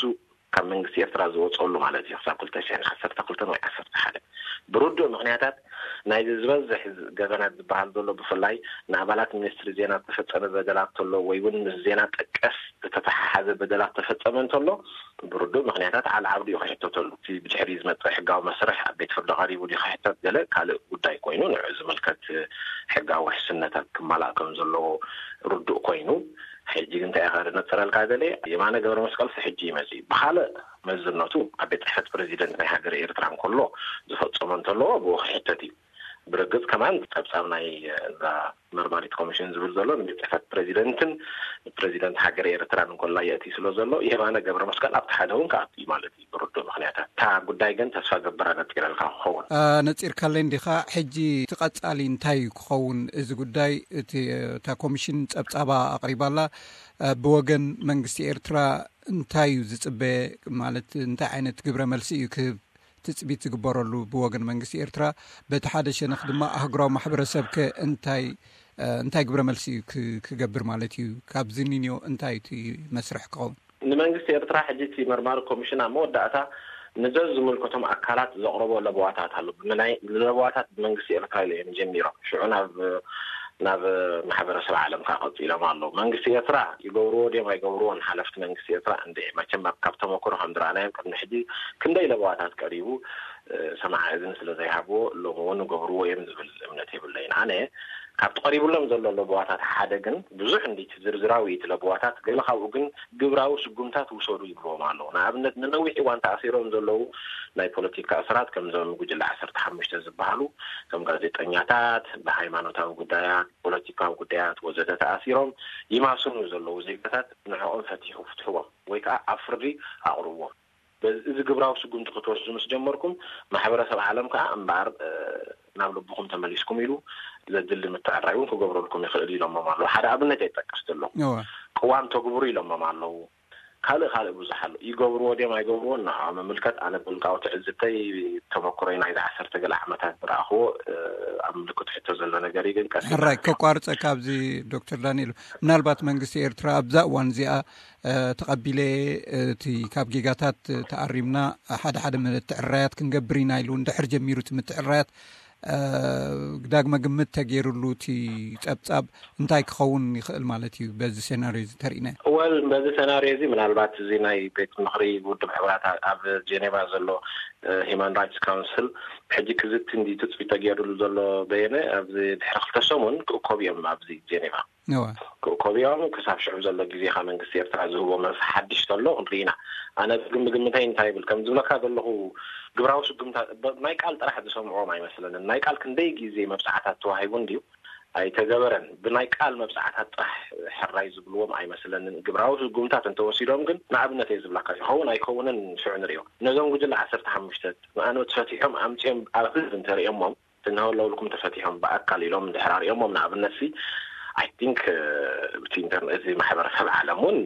ካብ መንግስቲ ኤርትራ ዝወፀሉ ማለት እዩ ክሳብ ክልተ ሽሕን ዓሰርተ ክልተን ወይ ዓሰርተ ሓደ ብርዱእ ምክንያታት ናይዚ ዝበዝሕ ገበናት ዝበሃል ዘሎ ብፍላይ ንኣባላት ሚኒስትሪ ዜና ዝተፈፀመ በደላት ተሎ ወይ እውን ምስ ዜና ጠቀስ ዝተተሓሓዘ በደላት ተፈፀመ እንተሎ ብርዱእ ምክንያታት ዓል ዓብዲ እዩ ክሕተተሉ። እቲ ብድሕሪ ዝመፀ ሕጋዊ መስርሕ ኣብ ቤት ፍርዲ ቀሪቡ ድዩ ክሕተት ገለ ካልእ ጉዳይ ኮይኑ ንዑ ዝምልከት ሕጋዊ ውሕስነታት ክማላእ ከም ዘለዎ ርዱእ ኮይኑ ሕጂ ግን እንታይ ኢኻ ነፅረልካ ገለ የማነ ገብረ መስቀልሲ ሕጂ ይመፅእ ብካልእ መዝነቱ ኣብ ቤት ፅሕፈት ፕሬዚደንት ናይ ሃገር ኤርትራ እንከሎ ዝፈፀሞ እንተለዎ ብኡ ክሕተት እዩ። ብርግፅ ከማን ፀብፃብ ናይ እዛ መርማሪት ኮሚሽን ዝብል ዘሎ ንቤት ፅሕፈት ፕሬዚደንትን ንፕሬዚደንት ሃገር ኤርትራን እንኮላ የእቲ ስለ ዘሎ የማነ ገብረ መስቀል ኣብቲ ሓደ እውን ክኣቱ እዩ ማለት እዩ። ብርዱእ ምክንያታት እታ ጉዳይ ግን ተስፋ ገብር ኣነፂረልካ ክኸውን። ነፂርካለይ እንዲኻ ሕጂ እቲ ቀፃሊ እንታይ እዩ ክኸውን እዚ ጉዳይ? እቲ እታ ኮሚሽን ፀብፃባ ኣቕሪባላ ብወገን መንግስቲ ኤርትራ እንታይ እዩ ዝፅበ ማለት እንታይ ዓይነት ግብረ መልሲ እዩ ክህብ ትፅቢት ዝግበረሉ ብወገን መንግስቲ ኤርትራ? በቲ ሓደ ሸነኽ ድማ ኣህጉራዊ ማሕበረሰብ ከ እንታይ እንታይ ግብረ መልሲ እዩ ክገብር ማለት እዩ? ካብዚ ኒኒዮ እንታይ እቲ መስርሕ ክኸውን? ንመንግስቲ ኤርትራ ሕጂ እቲ መርማሪ ኮሚሽን ኣብ መወዳእታ ንዘዝምልከቶም ኣካላት ዘቕረቦ ለበዋታት ኣሎ። ብመናይ ለበዋታት ብመንግስቲ ኤርትራ ኢለ እዮም ጀሚሮም። ሽዑ ናብ ናብ ማሕበረሰብ ዓለም ከዓ ቀፂሎም ኣለዉ። መንግስቲ ኤርትራ ይገብርዎ ድዮም ኣይገብርዎን ሓለፍቲ መንግስቲ ኤርትራ እንደ መቸም ካብ ተመክሮ ከም ዝረኣናዮም ቅድሚ ሕጂ ክንደይ ለበዋታት ቀሪቡ ሰማዓ እዝኒ ስለ ዘይሃብዎ ሎሚ እውን ገብርዎ እዮም ዝብል እምነት የብለይን ኣነ። ካብቲ ቀሪቡሎም ዘሎ ለበዋታት ሓደ ግን ብዙሕ እንዲቲ ዝርዝራዊ እቲ ለበዋታት፣ ገለ ካብኡ ግን ግብራዊ ስጉምታት ውሰዱ ይብልዎም ኣለዉ። ንኣብነት፣ ንነዊሕ እዋን ተኣሲሮም ዘለዉ ናይ ፖለቲካ እስራት፣ ከምዞም ጉጅለ ዓሰርተ ሓሙሽተ ዝበሃሉ፣ ከም ጋዜጠኛታት፣ ብሃይማኖታዊ ጉዳያት፣ ፖለቲካዊ ጉዳያት ወዘተ ተኣሲሮም ይማስኑ ዘለዉ ዜጋታት፣ ንዕኦም ፈቲሑ ፍትሕዎም ወይ ከዓ ኣብ ፍርዲ ኣቕርብዎም። በዚ፣ እዚ ግብራዊ ስጉምቲ ክትወስዱ ምስ ጀመርኩም፣ ማሕበረሰብ ዓለም ከዓ እምበኣር፣ እ፣ ናብ ልብኹም ተመሊስኩም ኢሉ ዘድሊ ምትዕራይ እውን ክገብረልኩም ይኽእል ኢሎሞም ኣለዉ። ሓደ ኣብነት እየ ዝጠቅስ ዘለኹ። እወ። ቅዋም ተግብሩ ኢሎሞም ኣለዉ። ካልእ ካልእ ብዙሕ ኣሎ። ይገብርዎ ድዮም ኣይገብርዎን ንዕኦም ምምልከት። ኣነ ብውልቃዊ ትዕዝብተይ፣ ተመኩሮይ ናይዚ ዓሰርተ ገለ ዓመታት ዝረኣኽዎ፣ እ፣ ኣብ ምልክት ሕቶ ዘሎ ነገር እዩ። ግን ቀስ ኢልና ሕራይ ንሪኦ። ከቋርጸ ካብዚ ዶክተር ዳንኤል፣ ምናልባት መንግስቲ ኤርትራ ኣብዛ እዋን እዚኣ፣ እ፣ ተቐቢለ፣ እቲ ካብ ጌጋታት ተኣሪምና ሓደ ሓደ ምትዕራያት ክንገብር ኢና ኢሉ እንድሕር ጀሚሩ እቲ ምትዕራያት፣ እ፣ ዳግመ ግምት ተገይሩሉ እቲ ጸብጻብ እንታይ ክኸውን ይኽእል ማለት እዩ? በዚ ሴናርዮ እዚ ተርኢና። ወል፣ በዚ ሴናርዮ እዚ ምናልባት እዚ ናይ ቤት ምኽሪ ውድብ ሕብራት ኣብ ጄኔቫ ዘሎ፣ እ፣ ሂማን ራይትስ ካውንስል ሕጂ ክዝቲ እንዲ ትጽቢት ተገይሩሉ ዘሎ በየነ፣ ኣብዚ ድሕሪ ክልተ ሰሙን ክእከቡ እዮም ኣብዚ ጄኔቫ። እወ። ክእከቡ እዮም። ክሳብ ሽዑ ዘሎ ግዜ ከኣ መንግስቲ ኤርትራ ዝህቦ መልሲ ሓድሽ ተሎ ክንርኢ ኢና። ኣነ ግን ብግምተይ እንታይ ይብል፣ ከም ዝብለካ ዘለኹ፣ ግብራዊ ስጉምታ ብ-፣ ናይ ቃል ጥራሕ ዝሰምዕዎም ኣይመስለንን። ናይ ቃል ክንደይ ግዜ መብጻዕታት ተዋሂቡ እንድዩ ኣይተገበረን። ብናይ ቃል መብጻዕታት ጥራሕ ሕራይ ዝብልዎም ኣይመስለንን። ግብራዊ ስጉምታት እንተወሲዶም ግን፣ ንኣብነት እየ ዝብላካ፣ ይኸውን ኣይከውንን ሽዑ ንሪኦ። ነዞም ጉጅለ ዓሰርተ ሓሙሽተ፣ ንኣንወት ፈቲሖም ኣምጺኦም ኣብ ህዝቢ እንተርእዮሞም፣ እንተሃለውልኩም ተፈቲሖም ብኣካል ኢሎም እንድሕር ኣርእዮሞም፣ ንኣብነት ሲ፣ I think፣ እ፣ እቲ ኢንተርኔት፣ እዚ ማሕበረሰብ ዓለም እውን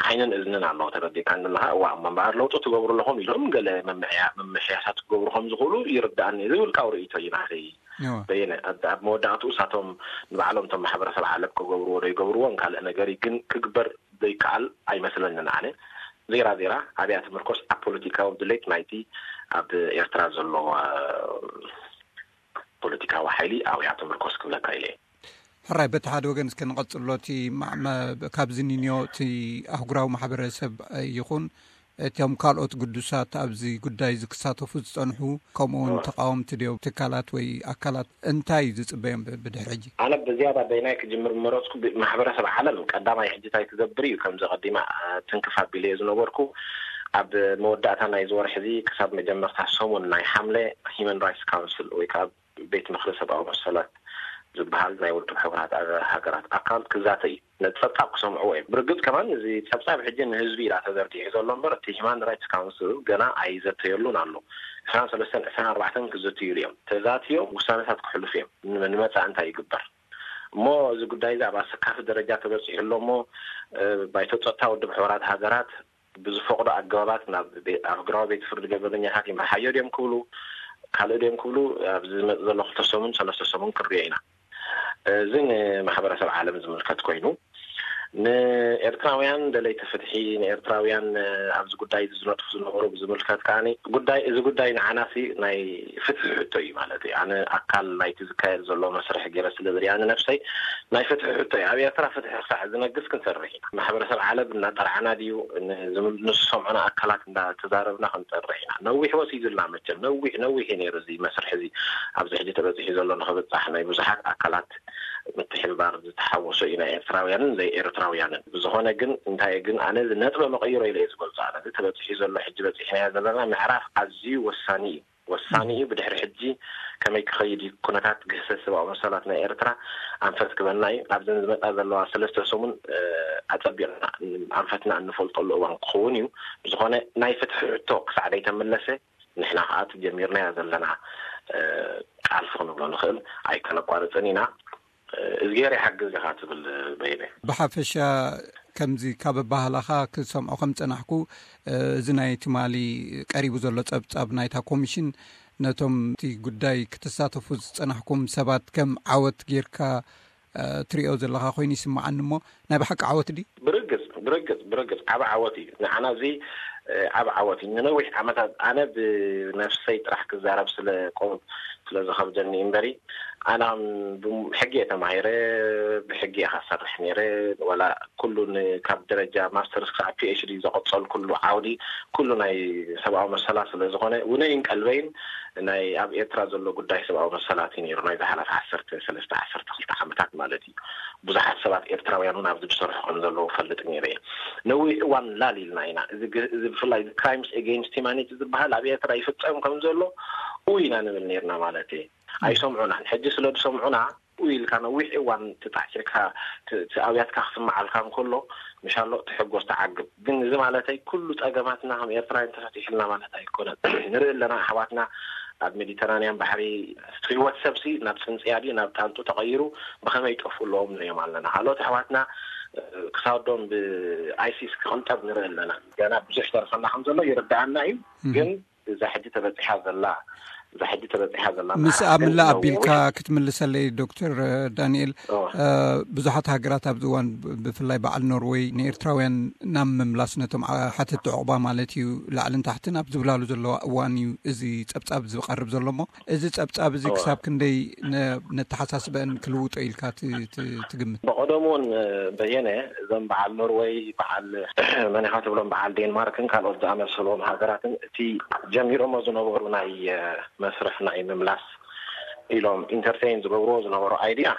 ዓይንን እዝንን ኣለዎ። ተረዲእካ እንድለኻ፣ እዋ፣ እሞ እምበኣር ለውጢ ትገብሩ ኣለኹም ኢሎም ገለ መምዕያ-፣ መምሕያሳት ክገብሩ ከም ዝኽእሉ ይርድኣኒ። እዚ ውልቃዊ ርእይቶ እዩ ናተይ። እዋ። በየነ፣ ኣብ፣ ኣብ መወዳእትኡ እሳቶም ንባዕሎም እቶም ማሕበረሰብ ዓለም ክገብርዎ ዶ ይገብርዎ ካልእ ነገር እዩ። ግን ክግበር ዘይከኣል ኣይመስለንን ኣነ። ዜራ ዜራ፣ ኣብያ ትምርኮስ ኣብ ፖለቲካዊ ድሌት ናይቲ ኣብ ኤርትራ ዘሎ፣ እ፣ ፖለቲካዊ ሓይሊ ኣብያ ትምርኮስ ክብለካ ኢለ። ሕራይ፣ በቲ ሓደ ወገን እስከ ንቐጽሎ፣ እቲ ማ-፣ መ-፣ ካብዚ ኒንዮ እቲ ኣህጉራዊ ማሕበረሰብ ይኹን እቶም ካልኦት ግዱሳት ኣብዚ ጉዳይ እዚ ክሳተፉ ዝጸንሑ፣ ከምኡ እውን እዋ። ተቃወምቲ ድዮም ትካላት ወይ ኣካላት፣ እንታይ እዩ ዝጽበዮም ብ-፣ ብድሕሪ ሕጂ? ኣነ ብዝያዳ በይናይ ክጅምር ምመረጽኩ፣ ብ-፣ ማሕበረሰብ ዓለም ቀዳማይ ሕጂ እንታይ ክገብር እዩ፣ ከምዚ ቀዲማ፣ እ፣ ትንክፍ ኣቢለዮ ዝነበርኩ፣ ኣብ መወዳእታ ናይዚ ወርሒ እዚ ክሳብ መጀመርታ ሰሙን ናይ ሓምለ፣ ሂማን ራይትስ ካውንስል ወይ ከዓ ቤት ምኽሪ ሰብኣዊ መሰላት ዝበሃል ናይ ውድብ ሕቡራት ሃገራት ኣካል ክዛተ እዩ። ነቲ ጸብጻብ ክሰምዕዎ እዮም። ብርግጽ ከማን እዚ ጸብጻብ ሕጂ ንህዝቢ ኢላ ተዘርጊሑ ዘሎ እምበር፣ እቲ ሂማን ራይትስ ካውንስል ገና ኣይዘተየሉን ኣሎ። ዕስራን ሰለስተን ዕስራን ኣርባዕተን ክዝትይሉ እዮም። ተዛትዮም ውሳነታት ክሕልፉ እዮም። ን-፣ ንመጻኢ እንታይ ይግበር? እሞ እዚ ጉዳይ እዚ ኣብ ኣሰካፊ ደረጃ ተበጺሑ ኣሎ እሞ፣ እ፣ ባይቶ ጸጥታ ውድብ ሕቡራት ሃገራት ብዝፈቕዶ ኣገባባት ናብ ቤ-፣ ኣህጉራዊ ቤት ፍርዲ ገበነኛታት ይምርሓዮ ድዮም ክብሉ፣ ካልእ ድዮም ክብሉ፣ ኣብዚ ዝመጽእ ዘሎ ክልተ ሰሙን ሰለስተ ሰሙን ክንሪኦ ኢና። እዚ ንማሕበረሰብ ዓለም ዝምልከት ኮይኑ፣ ንኤርትራውያን ደለይቲ ፍትሒ፣ ንኤርትራውያን ኣብዚ ጉዳይ እዚ ዝነጥፉ ዝነበሩ ብዝምልከት ከኣ፣ ጉዳይ፣ እዚ ጉዳይ ንዓናሲ ናይ ፍትሒ ሕቶ እዩ ማለት እዩ። ኣነ ኣካል ናይቲ ዝካየድ ዘሎ መስርሕ ገይረ ስለ ዝሪኣ ንነብሰይ ናይ ፍትሒ ሕቶ እዩ። ኣብ ኤርትራ ፍትሒ ክሳዕ ዝነግስ ክንሰርሕ ኢና። ማሕበረሰብ ዓለም እናጠርዓና ድዩ፣ ንዝም-፣ ንዝሰምዑና ኣካላት እንዳተዛረብና ክንጠርሕ ኢና። ነዊሕ ወሲዱልና መቸም፣ ነዊሕ፣ ነዊሕ እዩ ነይሩ እዚ መስርሕ እዚ ኣብዚ ሕጂ ተበጺሑ ዘሎ ንኽብጻሕ ናይ ብዙሓት ኣካላት ምትሕብባር ዝተሓወሶ እዩ፣ ናይ ኤርትራውያንን ዘይኤርትራውያንን። ብዝኾነ ግን፣ እንታይ ግን፣ ኣነ እዚ ነጥበ መቐይሮ ኢለ እየ ዝገልጾ። ኣነ እዚ ተበጺሑ ዘሎ፣ ሕጂ በጺሕናዮ ዘለና ምዕራፍ ኣዝዩ ወሳኒ እዩ። ወሳኒ እዩ። ብድሕሪ ሕጂ ከመይ ክኸይድ እዩ? ኩነታት ግህሰት ሰብኣዊ መሰላት ናይ ኤርትራ ኣንፈት ክበና እዩ። ኣብዘን ዝመጻ ዘለዋ ሰለስተ ሰሙን፣ እ፣ ኣጸቢቕና ኣንፈትና እንፈልጠሉ እዋን ክኸውን እዩ። ብዝኾነ ናይ ፍትሒ ሕቶ ክሳዕ ደይተመለሰ ንሕና ከኣ እቲ ጀሚርናዮ ዘለና፣ እ፣ ቃልሲ ክንብሎ ንኽእል ኣይከነቋርጽን ኢና። እ፣ እዝግሄር ይሓግዝ ኢኻ ትብል በይነ። ብሓፈሻ ከምዚ ካብ ኣባህላኻ ክሰምዖ ከም ጸናሕኩ፣ እ፣ እዚ ናይ ትማሊ ቀሪቡ ዘሎ ጸብጻብ ናይታ ኮሚሽን ነቶም እቲ ጉዳይ ክትሳተፉ ዝጸናሕኩም ሰባት ከም ዓወት ጌርካ፣ እ፣ ትሪኦ ዘለኻ ኮይኑ ይስምዓኒ እሞ ናይ ብሓቂ ዓወት ድዩ? ብርግጽ፣ ብርግጽ፣ ብርግጽ ዓቢ ዓወት እዩ። ንዓና እዚ፣ እ፣ ዓቢ ዓወት እዩ። ንነዊሕ ዓመታት ኣነ ብነፍሰይ ጥራሕ ክዛረብ ስለ ቆ-፣ ስለ ዝኸብደኒ እምበሪ፣ ኣነ ከም ብም- ሕጊ እየ ተማሂረ፣ ብሕጊ እየ ካሰርሕ ነይረ። ዋላ ኩሉ ን- ካብ ደረጃ ማስተርስ ክሳብ ፒኤችዲ ዘቐጸሉ ኩሉ ዓውዲ፣ ኩሉ ናይ ሰብኣዊ መሰላት ስለ ዝኾነ፣ ውነይን ቀልበይን ናይ ኣብ ኤርትራ ዘሎ ጉዳይ ሰብኣዊ መሰላት እዩ ነይሩ፣ ናይ ዝሓለፈ ዓሰርተ ሰለስተ ዓሰርተ ክልተ ዓመታት ማለት እዩ። ብዙሓት ሰባት ኤርትራውያን እውን ኣብዚ ዝሰርሑ ከም ዘለዉ ፈልጥ ነይረ እየ። ነዊሕ እዋን ላል ኢልና ኢና። እዚ ግ- እዚ ብፍላይ ክራይምስ ኤጌንስት ሂማኒቲ ዝበሃል ኣብ ኤርትራ ይፍጸም ከም ዘሎ ኡ ኢና ንብል ነይርና ማለት እዩ። ኣይሰምዑናን። ሕጂ ስለ ዝሰምዑና ኡ ኢልካ ነዊሕ እዋን ተጣሒርካ፣ ት- ት- ኣብያትካ ክስምዓልካ እንከሎ፣ ምሻሎ ትሕጎስ፣ ትዓግብ። ግን እዚ ማለተይ ኩሉ ጸገማትና ከም ኤርትራውያን ተፈቲሕልና ማለት ኣይኮነን። ንርኢ ኣለና፣ ኣሕዋትና ኣብ ሜዲተራንያን ባሕሪ፣ ህይወት ሰብሲ ናብ ጽንጽያ ድዩ ናብ ጣንጡ ተቐይሩ፣ ብኸመይ ይጠፍኡ ኣለዎም ንሪኦም ኣለና። ካልኦት ኣሕዋትና፣ እ፣ ክሳዶም ብኣይሲስ ክቕንጠብ ንርኢ ኣለና። ገና ብዙሕ ተርፈና ከም ዘሎ ይርድኣና እዩ። ግን እዛ ሕጂ ተበጺሓ ዘላ እዛ ሕጂ ተበጺሓ ዘላ ምስ መዓልቲ ኣምላ ነዊሕ ኣቢልካ ክትምልሰለይ ዶክተር ዳንኤል፣ ኦ። ብዙሓት ሃገራት ኣብዚ እዋን፣ ብፍላይ በዓል ኖርወይ፣ ንኤርትራውያን ናብ ምምላስ፣ ነቶም ሓተቲ ዕቑባ ማለት እዩ፣ ላዕልን ታሕትን ኣብ ዝብላሉ ዘለዋ እዋን እዩ እዚ ጸብጻብ ዝቐርብ ዘሎ። እሞ እዚ ጸብጻብ እዚ ክሳብ ክንደይ ነተሓሳስበን ክልውጦ ኢልካ ትግምት? ብቐደሙ እውን በየነ፣ እዞም በዓል ኖርወይ፣ በዓል መን ኢኻ ትብሎም፣ በዓል ዴንማርክን ካልኦት ዝኣመሰልዎም ሃገራትን እቲ ጀሚሮሞ ዝነበሩ ናይ መስርሕ ናይ ምምላስ ኢሎም ኢንተርቴይን ዝገብርዎ ዝነበሩ ኣይድያ፣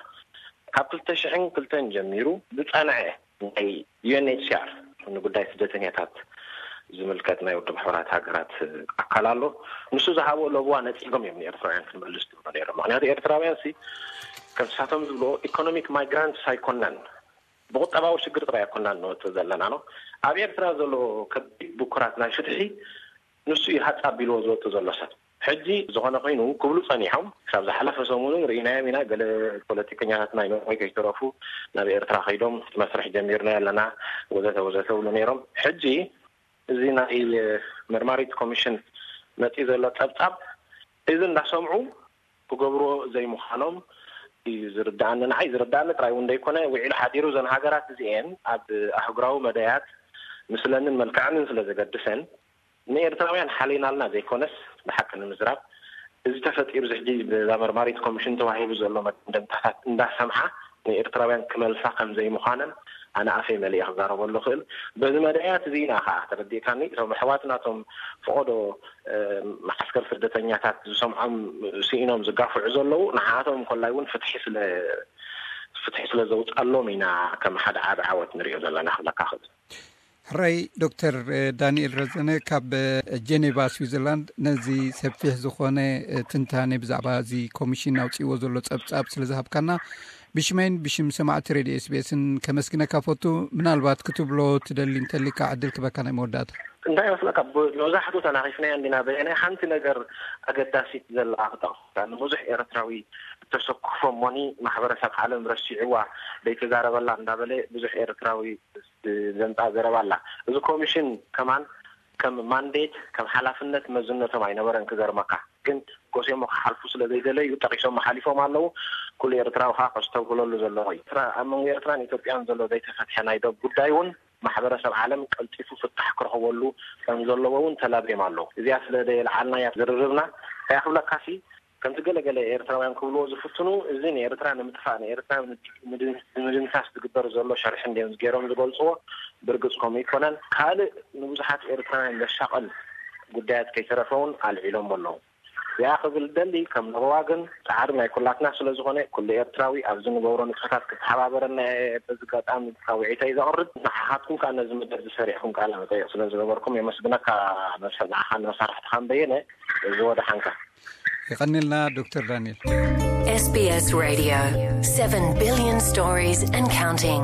ካብ ክልተ ሽሕን ክልተን ጀሚሩ ዝጸንዐ ናይ ዩኤንኤችሲኣር ንጉዳይ ስደተኛታት ዝምልከት ናይ ውድብ ሕቡራት ሃገራት ኣካል ኣሎ። ንሱ ዝሃቦ ለብዋ ነጺጎም እዮም ንኤርትራውያን ክንመልስ ዝብሉ ነይሮም። ምክንያቱ ኤርትራውያን ሲ ከምሳቶም ዝብሎ ኢኮኖሚክ ማይግራንትስ ኣይኮናን፣ ብቁጠባዊ ሽግር ጥራይ ኣይኮናን ንወጽእ ዘለና ነው። ኣብ ኤርትራ ዘሎ ከቢድ ብኩራት ናይ ፍትሒ ንሱ እዩ ሃጻ ኣቢልዎ ዝወጽእ ዘሎ ሰብ። ሕጂ ዝኾነ ኮይኑ ክብሉ ጸኒሖም። ክሳብ ዝሓለፈ ሰሙን ርኢናዮም ኢና። ገለ ፖለቲከኛታት ናይ ኖርወይ ከይተረፉ ናብ ኤርትራ ከይዶም መስርሕ ጀሚርና ኣለና ወዘተ ወዘተ ብሉ ነይሮም። ሕጂ እዚ ናይ መርማሪት ኮሚሽን መጺኡ ዘሎ ጸብጻብ እዚ እንዳሰምዑ ክገብርዎ ዘይምዃኖም እዩ ዝርድኣኒ። ንዓይ ዝርድኣኒ ጥራይ እውን ዘይኮነ፣ ውዒሉ ሓዲሩ እዘን ሃገራት እዚኤን ኣብ ኣህጉራዊ መደያት ምስለንን መልክዐንን ስለ ዘገድሰን፣ ንኤርትራውያን ሓሊናልና ዘይኮነስ፣ ብሓቂ ንምዝራብ፣ እዚ ተፈጢሩ፣ እዚ ሕጂ ብዛ መርማሪት ኮሚሽን ተዋሂቡ ዘሎ መደምደምታታት እንዳሰምዓ ንኤርትራውያን ክመልሳ ከም ዘይምዃነን ኣነ ኣፈይ መሊኤ ክዛረበሉ ክእል። በዚ መዳያት እዚ ኢና ከዓ ተረዲእካኒ፣ እቶም ኣሕዋትና፣ እቶም ፈቐዶ፣ እ፣ መዓስከር ስደተኛታት ዝሰምዖም ስኢኖም ዝጋፍዑ ዘለዉ፣ ንዓቶም ኮላይ እውን ፍትሒ ስለ፣ ፍትሒ ስለ ዘውፅኣሎም ኢና ከም ሓደ ዓቢ ዓወት ንሪኦ ዘለና ክብለካ ክእል። ሕራይ ዶክተር ዳንኤል ረዘነ ካብ ጀኔቫ ስዊዘርላንድ፣ ነዚ ሰፊሕ ዝኾነ ትንታኔ ብዛዕባ እዚ ኮሚሽን ኣውፅእዎ ዘሎ ጸብጻብ ስለ ዝሃብካና ብሽመይን ብሽም ሰማዕቲ ሬድዮ ኤስቢኤስን ከመስግነካ ፈቱ። ምናልባት ክትብሎ ትደሊ እንተሊካ ዕድል ክበካ ናይ መወዳእታ። እንታይ መስለካ፣ ብ- መብዛሕትኡ ተናኺፍናያ እንዲና። በየናይ ሓንቲ ነገር ኣገዳሲት ዘላ ክጠቕስካ፣ ንብዙሕ ኤርትራዊ እተሰክፎ እሞኒ ማሕበረሰብ ዓለም ረሲዕዋ፣ ዘይተዛረበላ እንዳበለ ብዙሕ ኤርትራዊ ዘምጻ ዘረባ ኣላ። እዚ ኮሚሽን ከማን ከም ማንዴት፣ ከም ሓላፍነት መዝነቶም ኣይነበረን። ክገርመካ ግን፣ ጎስዮሞ ክሓልፉ ስለ ዘይደለዩ ጠቒሶሞ ሓሊፎም ኣለዉ። ኩሉ ኤርትራዊ ከዓ ከስተብህለሉ ዘለዎ እዩ። ኤርትራ፣ ኣብ መንጎ ኤርትራን ኢትዮጵያን ዘሎ ዘይተፈትሐ ናይ ዶብ ጉዳይ እውን ማሕበረሰብ ዓለም ቀልጢፉ ፍታሕ ክረኽበሉ ከም ዘለዎ እውን ተላብዮም ኣለዉ። እዚኣ ስለ ዘየልዓልናያ ዝርርብና፣ እንታይ ክብለካሲ፣ ከምቲ ገለገለ ኤርትራውያን ክብልዎ ዝፍትኑ፣ እዚ ንኤርትራ ንምጥፋእ፣ ንኤርትራ ንምድ- ንምድምሳስ ዝግበር ዘሎ ሸርሒ እንድዮም ገይሮም ዝገልጽዎ። ብርግጽ ከምኡ ኣይኮነን። ካልእ ንብዙሓት ኤርትራውያን ዘሻቕል ጉዳያት ከይተረፈ እውን ኣልዒሎም ኣለዉ። እዚኣ ክብል ደሊ፣ ከም ለበዋ ግን ጻዕሪ ናይ ኩላትና ስለ ዝኾነ፣ ኩሉ ኤርትራዊ ኣብዚ ንገብሮ ንጥፈታት ክተሓባበረና እየ በዚ ኣጋጣሚ ውዒተይ ዘቕርብ። ንዓኻትኩም ከኣ ነዚ መደብ ዝሰሪዕኩም ቃለ መጠይቕ ስለ ዝገበርኩም የመስግነካ። መሰ- ንዓኻን መሳርሕትኻን በየነ፣ እዚ ወደሓንካ። የቐንየልና ዶክተር ዳንኤል። S B S Radio, seven billion stories and counting.